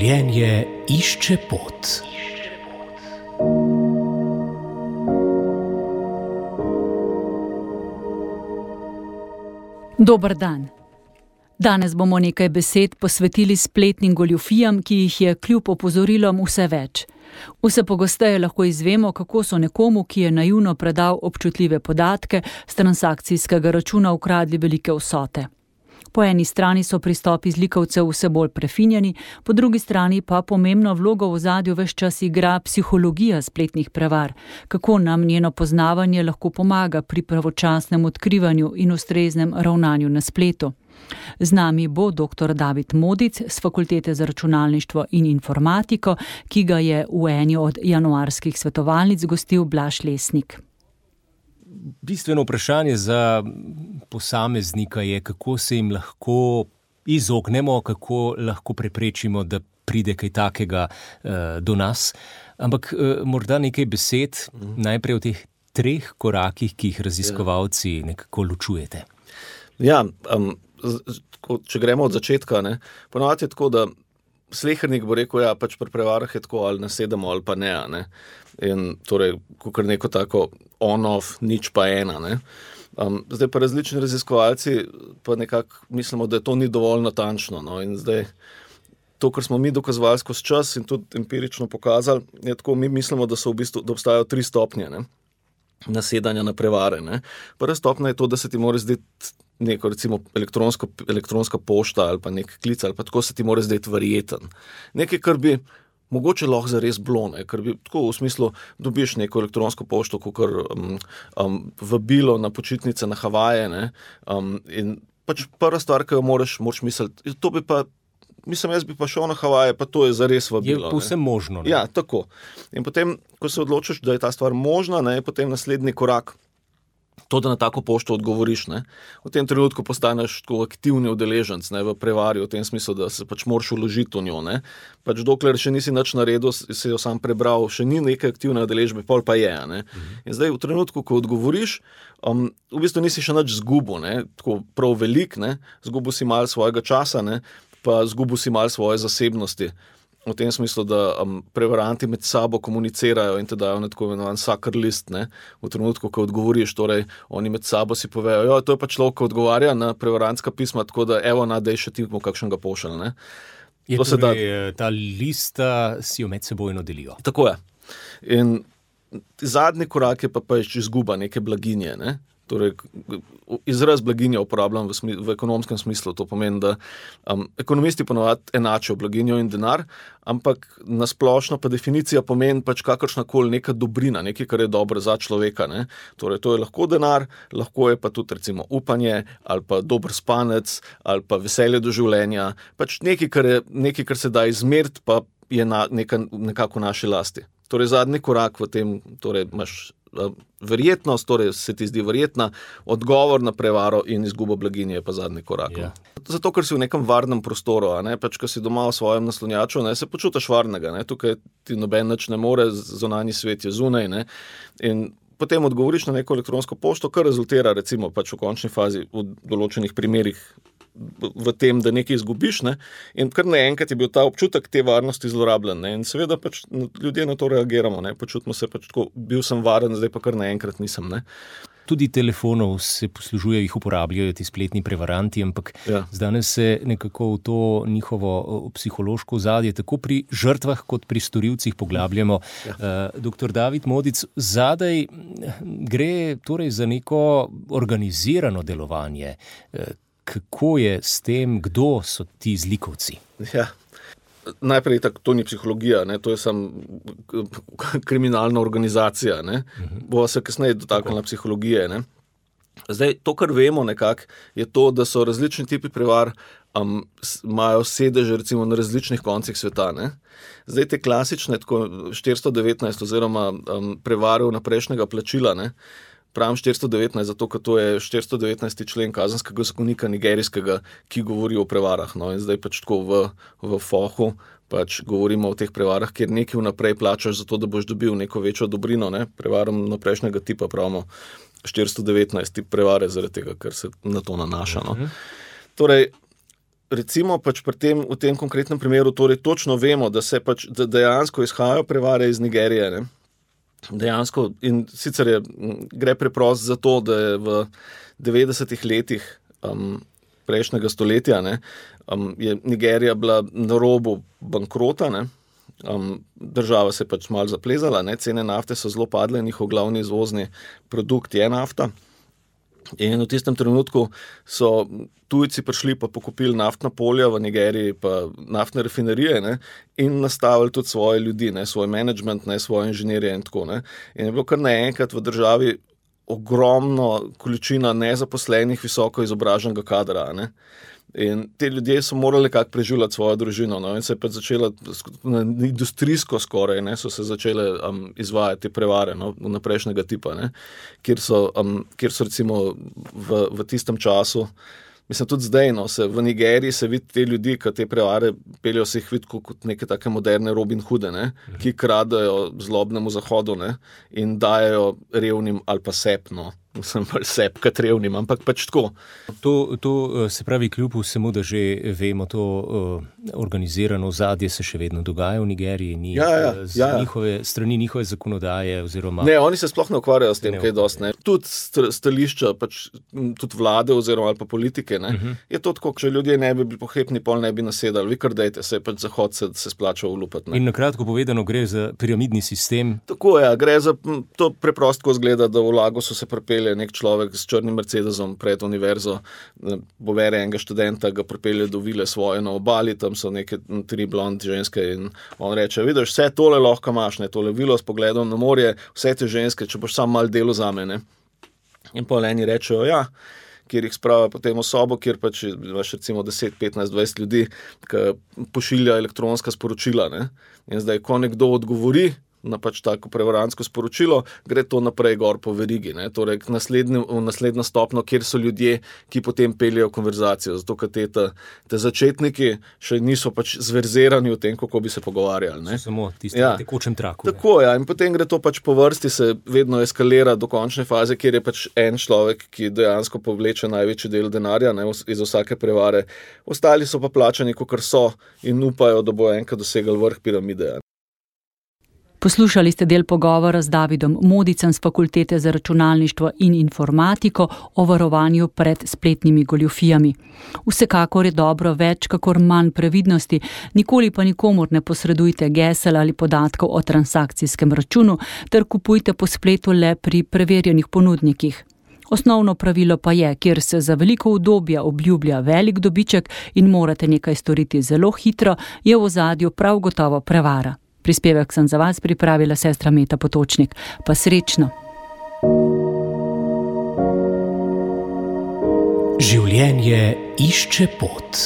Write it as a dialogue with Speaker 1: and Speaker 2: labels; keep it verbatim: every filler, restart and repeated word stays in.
Speaker 1: Življenje išče pot.
Speaker 2: Dober dan. Danes bomo nekaj besed posvetili spletnim goljufijam, ki jih je kljub opozorilom vse več. Vse pogosteje lahko izvemo, kako so nekomu, ki je naivno predal občutljive podatke, s transakcijskega računa ukradli velike vsote. Po eni strani so pristopi zlikovcev vse bolj prefinjeni, po drugi strani pa pomembno vlogo v ozadju ves čas igra psihologija spletnih prevar, kako nam njeno poznavanje lahko pomaga pri pravočasnem odkrivanju in ustreznem ravnanju na spletu. Z nami bo doktor David Modic z Fakultete za računalništvo in informatiko, ki ga je v eni od januarskih svetovalnic gostil Blaž Lesnik.
Speaker 1: Bistveno vprašanje za posameznika je, kako se jim lahko izognemo, kako lahko preprečimo, da pride kaj takega uh, do nas. Ampak uh, morda nekaj besed mm. najprej o teh treh korakih, ki jih raziskovalci nekako ločujete.
Speaker 3: Ja, um, če gremo od začetka, ne, ponovadi je tako, da slehernik bo rekel, ja, pač pri prevarah je tako, ali nasedemo ali pa ne, ne. In torej, kakor neko tako on-off, nič pa ena, ne. Um, zdaj pa različni raziskovalci pa nekako mislimo, da to ni dovolj natančno, no, in zdaj to, kar smo mi dokazovali skozi čas in tudi empirično pokazali, je tako, mi mislimo, da so v bistvu, da obstajajo tri stopnje, ne, nasedanja na prevare, ne. Prva stopnja je to, da se ti mora zdeti neko, recimo, elektronsko, elektronska pošta ali pa nek klic, ali pa tako se ti mora zdeti verjeten. Nekaj, kar bi mogoče lahko zares bilo, ne, ker bi tako v smislu dobiš neko elektronsko pošto, kakor um, um, vabilo na počitnice na Havaje, ne, um, in pač prva stvar, ki jo moraš, moraš misliti, to bi pa, mislim, jaz bi pa šel na Havaje, pa to je zares vabilo.
Speaker 1: Je povsem možno. Ne?
Speaker 3: Ja, tako. In potem, ko se odločiš, da je ta stvar možna, ne, je potem naslednji korak, to, da na tako pošto odgovoriš, ne. V tem trenutku postaneš tako aktivni udeleženc, ne, v prevari, v tem smislu, da se pač moraš vložiti v njo, ne. Pač dokler še nisi nič naredil, si jo sam prebral, še ni neke aktivne udeležbe, pol pa je, ne. Mhm. In zdaj v trenutku, ko odgovoriš, um, v bistvu nisi še nič zgubil, ne, tako prav velik, ne, zgubil si malo svojega časa, ne, pa zgubil si malo svoje zasebnosti. V tem smislu, da um, prevaranti med sabo komunicirajo in te dajo na tako imenovan sucker list, ne, v trenutku, ko odgovoriš, torej oni med sabo si povejo, jo, to je pa človek, ko odgovarja na prevarantska pisma, tako da evo, nadej še ti mu kakšnega pošelj, ne.
Speaker 1: Je to torej, da, ta lista si jo med sebojno delijo.
Speaker 3: Tako je. In zadnji korak je pa pač izguba neke blaginje, ne. Torej, izraz blaginja uporabljam v, smi, v ekonomskem smislu, to pomeni, da um, ekonomisti ponovadi enačijo blaginjo in denar, ampak nasplošno pa definicija pomeni pač kakršnakoli neka dobrina, nekaj, kar je dobro za človeka, ne. Torej, to je lahko denar, lahko je pa tudi recimo upanje, ali pa dober spanec, ali pa veselje do življenja, pač nekaj, kar, je, nekaj, kar se da izmeriti, pa je na, neka, nekako v naši lasti. Torej, zadnji korak v tem, torej imaš verjetnost, torej se ti zdi verjetna, odgovor na prevaro in izgubo blaginje je pa zadnji korak. Yeah. Zato, ker si v nekem varnem prostoru, a ne, pač, ko si doma v svojem naslonjaču, ne, se počutiš varnega, ne, tukaj ti noben nič ne more, zunanji svet je zunaj, ne, in potem odgovoriš na neko elektronsko pošto, kar rezultira recimo pač v končni fazi v določenih primerih v tem, da nekaj izgubiš, ne, in kar naenkrat je bil ta občutek te varnosti zlorabljen, ne, in seveda pač ljudje na to reagiramo, ne, počutimo se pač tako, bil sem varen, zdaj pa kar naenkrat nisem, ne.
Speaker 1: Tudi telefonov se poslužujejo, jih uporabljajo ti spletni prevaranti, ampak ja. Danes se nekako v to njihovo psihološko ozadje tako pri žrtvah kot pri storilcih poglabljamo. Ja. Uh, doktor David Modic, zadaj gre torej za neko organizirano delovanje. Uh, Kako je s tem, kdo so ti zlikovci?
Speaker 3: Ja, najprej tako, to ni psihologija, ne, to je samo kriminalna organizacija, ne. Uh-huh. Bova se kasneje dotaknila psihologije, ne. Zdaj, to, kar vemo nekako, je to, da so različni tipi prevar, um, imajo sedeže recimo na različnih koncih sveta, ne. Zdaj, te klasične, tako štiristo devetnajst oziroma um, prevare vnaprejšnjega plačila, ne, pravim štiristo devetnajst, zato ker to je štiristo devetnajsti člen kazenskega zakonika nigerijskega, ki govori o prevarah. No, in zdaj pač tako v, v fohu pač govorimo o teh prevarah, kjer nekaj vnaprej plačaš zato, da boš dobil neko večjo dobrino, ne, prevaram naprejšnjega tipa, pravimo štiristo devetnajst tip prevare, zaradi tega, ker se na to nanaša. No. Torej, recimo pač pri tem, v tem konkretnem primeru torej točno vemo, da se pač da dejansko izhajajo prevare iz Nigerije, ne? Dejansko, in sicer je, gre preprosto za to, da je v devetdesetih letih um, prejšnjega stoletja, ne, um, je Nigerija bila na robu bankrota, ne, um, država se je pač malo zaplezala, ne, cene nafte so zelo padle, njihov glavni izvozni produkt je nafta. In v tistem trenutku so tujci prišli pa pokupili naftna polja v Nigeriji, pa naftne rafinerije, ne, in nastavili tudi svoje ljudi, ne, svoj management, ne, svoje inženirje in tako. Ne. In je bilo kar naenkrat v državi ogromno količina nezaposlenih, visoko izobraženega kadra. Ne. In te ljudje so morali kako preživljati svojo družino, no, in se je pa začela industrijsko skoraj, ne, so se začele um, izvajati prevare, no, naprejšnjega tipa, ne, kjer so, um, kjer so recimo v, v tistem času, mislim tudi zdaj, no, se v Nigeriji se vidi te ljudi, ki te prevare peljo, se jih vidi kot neke take moderne Robin Hoode, ne, ki kradajo zlobnemu zahodu, ne, in dajo revnim ali pa sepno. Sem pa sep, kot revnim, ampak pač tako.
Speaker 1: To, to se pravi, kljub vsemu, da že vemo, to uh, organizirano ozadje se še vedno dogaja v Nigeriji, ni
Speaker 3: ja, ja,
Speaker 1: z
Speaker 3: ja, ja.
Speaker 1: njihove strani njihove zakonodaje oziroma...
Speaker 3: Ne, oni se sploh ne ukvarjajo s tem, ne, kaj dost, ne. Tudi stališča, pač tudi vlade oziroma ali pa politike, ne, uh-huh. je to tako, če ljudje ne bi bili pohepni, pol ne bi nasedali, vi kar dejte, se je pač Zahod se, se splača ulupati.
Speaker 1: In nakratko povedano, gre za piramidni sistem.
Speaker 3: Tako je, ja, gre za, to preprosto zgleda, da v Lagosu se pripelje nek človek s črnim Mercedesom pred univerzo, pobere enega študenta, ga pripelje do vile svoje na obali, tam so neke tri blond ženske in on reče, vidiš, vse tole lahko imaš, ne, tole vilo s pogledom na morje, vse te ženske, če boš sam malo delo zame, ne. In pol eni rečejo, ja, kjer jih sprava potem v sobo, kjer pač imaš recimo deset, petnajst, dvajset ljudi, ki pošilja elektronska sporočila, ne. In zdaj, ko nekdo odgovori na pač tako prevarantsko sporočilo, gre to naprej gor po verigi, ne, torej v naslednjo stopno, kjer so ljudje, ki potem peljejo konverzacijo, zato ker te, te, te začetniki še niso pač zverzerani v tem, kako bi se pogovarjali, ne.
Speaker 1: Samo tisti
Speaker 3: ja.
Speaker 1: na tekočem traku.
Speaker 3: Tako, ja, in potem gre to pač po vrsti, se vedno eskalira do končne faze, kjer je pač en človek, ki dejansko povleče največji del denarja, ne, iz vsake prevare. Ostali so pa plačani, kakor so, in upajo, da bo enkrat dosegali vrh piramide.
Speaker 2: Poslušali ste del pogovora z Davidom Modicem z Fakultete za računalništvo in informatiko o varovanju pred spletnimi goljufijami. Vsekakor je dobro več, kakor manj previdnosti, nikoli pa nikomur ne posredujte gesel ali podatkov o transakcijskem računu, ter kupujte po spletu le pri preverjenih ponudnikih. Osnovno pravilo pa je, kjer se za veliko udobja obljublja velik dobiček in morate nekaj storiti zelo hitro, je v ozadju prav gotovo prevara. Prispevek sem za vas pripravila sestra Meta Potočnik. Pa srečno!
Speaker 1: Življenje išče pot.